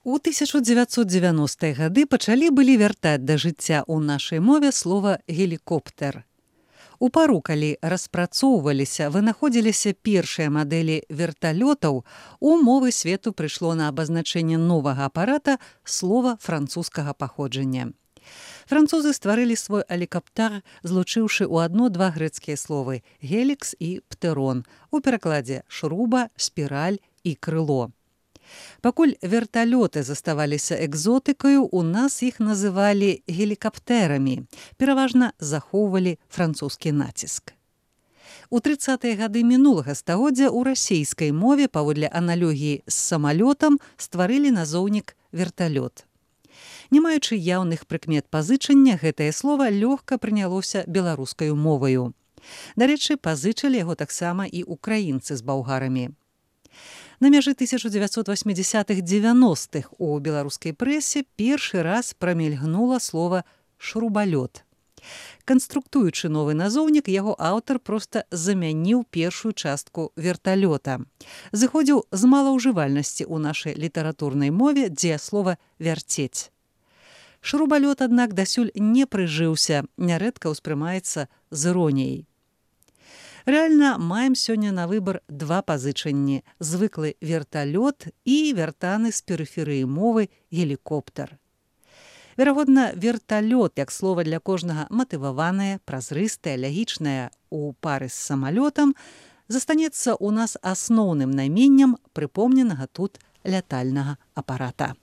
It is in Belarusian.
У 1990-е гады пачалі былі вяртаць да жыцця ў нашай мове слова «гелікоптер». У пару, калі распрацоўваліся, вынаходзіліся першыя мадэлі верталётаў, у мовы свету прыйшло на абазначэнне новага апарата слова французскага паходжання. Французы стварылі свой алікаптар, злучыўшы ў адно-два грэцкія словы «гелікс» і «птерон», у перакладзе «шруба», «спіраль» і «крыло». Пакуль верталёты заставаліся экзотыкаю, у нас іх называлі гелікаптэрамі, пераважна захоўвалі французскі націск. У 30-е гады мінулага стагоддзя ў расейскай мове паводле аналогіі з самалётам стварылі назоўнік верталёт. Не маючы яўных прыкмет пазычання, гэтае слова лёгка прынялося беларускаю моваю. Дарэчы, пазычылі яго таксама і украінцы з балгарамі. На мяжы 1980-х-90-х у беларускай прэсе першы раз прамільгнула слова «шрубалёт». Канструктуючы новы назоўнік, яго аўтар проста замяніў першую частку верталёта. Зыходзіў з малаўжывальнасці ў нашай літаратурнай мове дзеяслова «вярцець». Шрубалёт, аднак, дасюль не прыжыўся, нярэдка ўспрымаецца з іроніяй. Рэальна, маем сёння на выбар два пазычанні – звыклы верталёт і вяртаны з перыферыі мовы гелікоптер. Верагодна, верталёт, як слова для кожнага матываванае, празрыстае, лягічнае у пары з самалётам, застанецца ў нас асноўным найменнем прыпомненага тут лятальнага апарата.